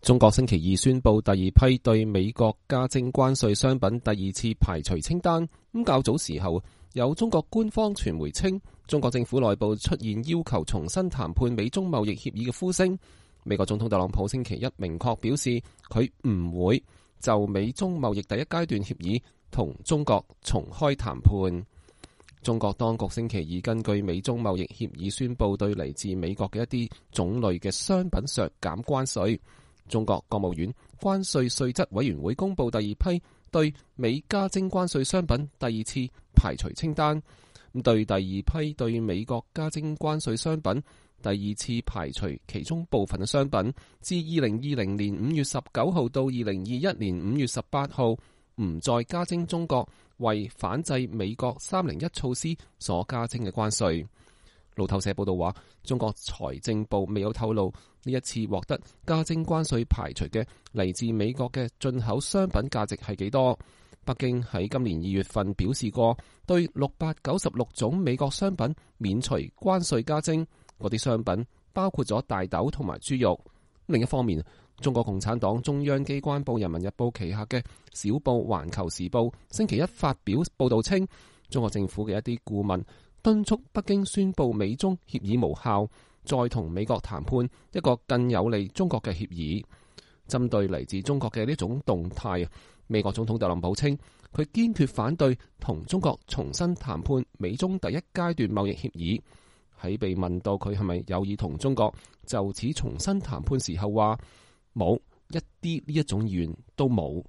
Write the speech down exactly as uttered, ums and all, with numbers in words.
中國星期二宣布第二批對美國加徵關稅商品第二次排除清單。咁較早時候，有中國官方傳媒稱，中國政府內部出現要求重新談判美中貿易協議嘅呼聲。美國總統特朗普星期一明確表示，佢唔會就美中貿易第一階段協議同中國重開談判。中國當局星期二根據美中貿易協議宣布對嚟自美國嘅一啲種類嘅商品削減關稅。中國國務院關稅稅則委員會公布第二批對美加徵關稅商品第二次排除清單。對第二批對美國加徵關稅商品第二次排除其中部分嘅商品，自二零二零年五月十九號到二零二一年五月十八號，唔再加徵中國為反制美國三零一措施所加徵嘅關稅。路透社報道話，中國財政部未有透露呢一次獲得加徵關稅排除嘅嚟自美國嘅進口商品價值係幾多。北京喺今年二月份表示過，對六百九十六種美國商品免除關稅加徵，嗰啲商品包括咗大豆同埋豬肉。另一方面，中國共產黨中央機關報《人民日報》旗下嘅小報《環球時報》星期一發表報道稱，中國政府嘅一啲顧問敦促北京宣布美中協議無效，再同美國談判一個更有利中國嘅協議。針對嚟自中國嘅呢種動態，美國總統特朗普稱，佢堅決反對同中國重新談判美中第一階段貿易協議。喺被問到佢係咪有意同中國就此重新談判時候，話冇一啲呢一種意願都冇。